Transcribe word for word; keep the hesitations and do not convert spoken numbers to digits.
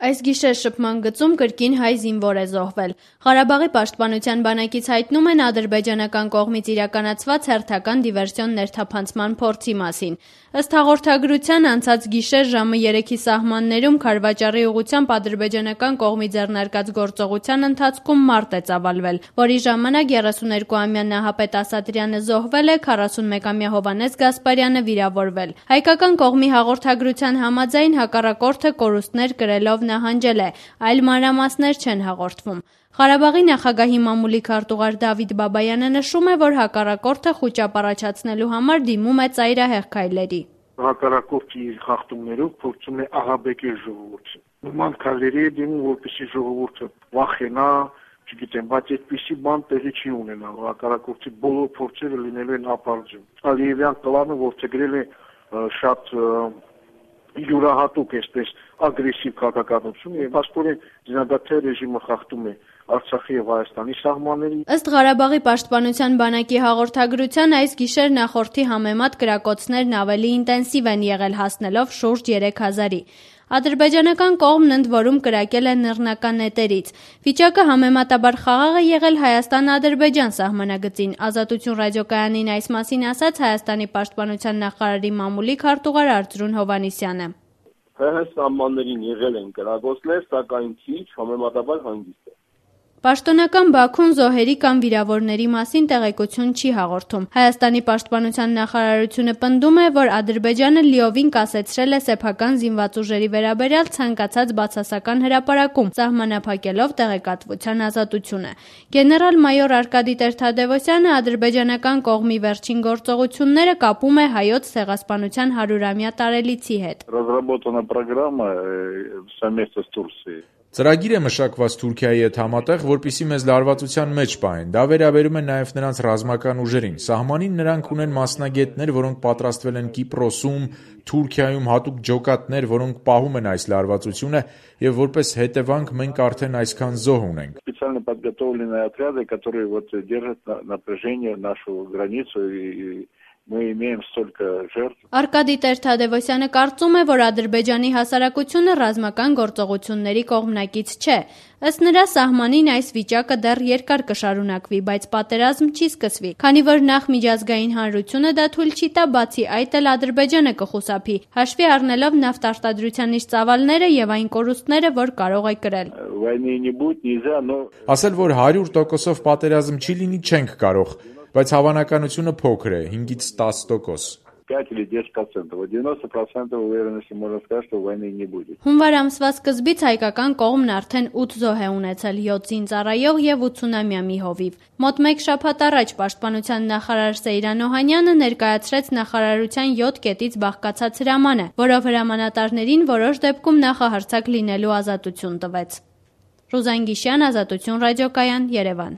Այս գիշեր շփման գծում կրկին հայ զինվոր է զոհվել։ Ղարաբաղի պաշտպանության բանակից հայտնում են ադրբեջանական կողմից իրականացված հերթական դիվերսիոն ներթափանցման փորձի մասին։ Ըստ հաղորդագրության, անցած գիշեր ժամը երեքի սահմաններում Քարվաճառի ուղղությամբ ադրբեջանական կողմի ձեռնարկած գործողության ընթացքում մարդ է ծավալվել, որի ժամանակ երեսուներկուամյա Նահապետ Ասատրյանը զոհվել է, քառասունմեկամյա Հովհաննես Գասպարյանը վիրավորվել։ Հայկական կողմի հաղորդագրության համաձայն հակառակորդը կորուստներ կրելով նահանջել է, այլ մանրամասներ չեն հաղորդվում։ Ղարաբաղի նախագահի մամուլի քարտուղար Դավիթ Բաբայանը նշում է, որ հակառակորդը խուճապ առաջացնելու համար դիմում է ծայրահեղ քայլերի։ Հակառակորդի իր խախտումներով փորձում է ահաբեկել ժողովուրդը։ Նման քայլերի է դիմում, որպեսզի ժողովուրդը վախենա, չգիտեմ, բայց այդպիսի բան տեղի չի ունենալ։ Հակառակորդի բոլոր փորձերը լինելու են ապարդյուն։ Ալիևյան պլանը որդեգրել է շատ յուրահատուկ այսպես ագրեսիվ քաղաքականություն եւ աստորեն զինադադար ռեժիմը խախտում է Արցախի եւ Հայաստանի սահմանների։ Ըստ Ղարաբաղի պաշտպանության բանակի հաղորդագրության, այս գիշեր նախորդի համեմատ կրակոցներն ավելի ինտենսիվ են եղել, հասնելով շուրջ երեք հազարի։ Ադրբեջանական կողմն ընդ որում կրակել է նռնական նետերից։ Վիճակը համեմատաբար խաղաղ է եղել Հայաստան-Ադրբեջան սահմանագծին։ Ազատություն ռադիոկայանին այս մասին ասաց Հայաստանի պաշտպանության նախարարի մամուլի քարտուղար Արծրուն Հովհաննիսյանը։ ՀՀ սահմաններին եղել են կրակոցներ, սակայն քիչ, համեմատաբար հանգիստ է։ Պաշտոնական Բաքուն զոհերի կամ վիրավորների մասին տեղեկություն չի հաղորդում։ Հայաստանի պաշտպանության նախարարությունը պնդում է, որ Ադրբեջանը լիովին կասեցրել է սեփական զինված ուժերի վերաբերյալ ցանկացած բացասական հրապարակում, սահմանափակելով տեղեկատվության ազատությունը։ Գեներալ-մայոր Արկադի Տեր-Թադևոսյանը ադրբեջանական կողմի վերջին գործողությունները կապում է հայոց ցեղասպանության հարյուրամյա տարելիցի հետ։ Разработана программа совместно с Турцией. Ծրագիր է մշակված Թուրքիայի հետ համատեղ, որպեսզի մեզ լարվածության մեջ պահեն։ Դա վերաբերում է նաև նրանց ռազմական ուժերին։ Սահմանին նրանք ունեն մասնագետներ, որոնք պատրաստվել են Կիպրոսում, Թուրքիայում հատուկ ջոկատներ, որոնք պահում են այս լարվածությունը, եւ որպես հետևանք մենք արդեն այսքան զոհ ունենք։ Специально подготовленные отряды, которые вот держат напряжение нашу границу и Мы имеем столько жертв. Արկադի Տեր-Թադևոսյանը կարծում է, որ Ադրբեջանի հասարակությունը ռազմական գործողությունների կողմնակից չէ։ Ըստ նրա, սահմանին այս վիճակը դեռ երկար կշարունակվի, բայց պատերազմ չի սկսվի, քանի որ նախ միջազգային հանրությունը դա թույլ չի տա, բացի այդ էլ Ադրբեջանը կխուսափի, հաշվի առնելով նավթարտադրության իր ծավալները եւ այն կորուստները, որ կարող է կրել։ Ասել, որ հարյուր տոկոսով պատերազմ չի լինի, չենք կարող, բայց հավանականությունը փոքր է, հինգից տասը տոկոս։ Հունվար ամսվա սկզբից հայկական կողմն արդեն ութ զոհ է ունեցել, յոթ զինծառայող եւ ութսունամյա մի հովիվ։ Մոտ մեկ շաբաթ առաջ պաշտպանության նախարար Սեյրան Օհանյանը ներկայացրեց նախարարության յոթ կետից բաղկացած հրամանը, որով հրամանատարներին որոշ դեպքում նախահարձակ լինելու ազատություն տվեց։ Ռուզան Գիշյան, Ազատություն ռադիոկայան, Երևան։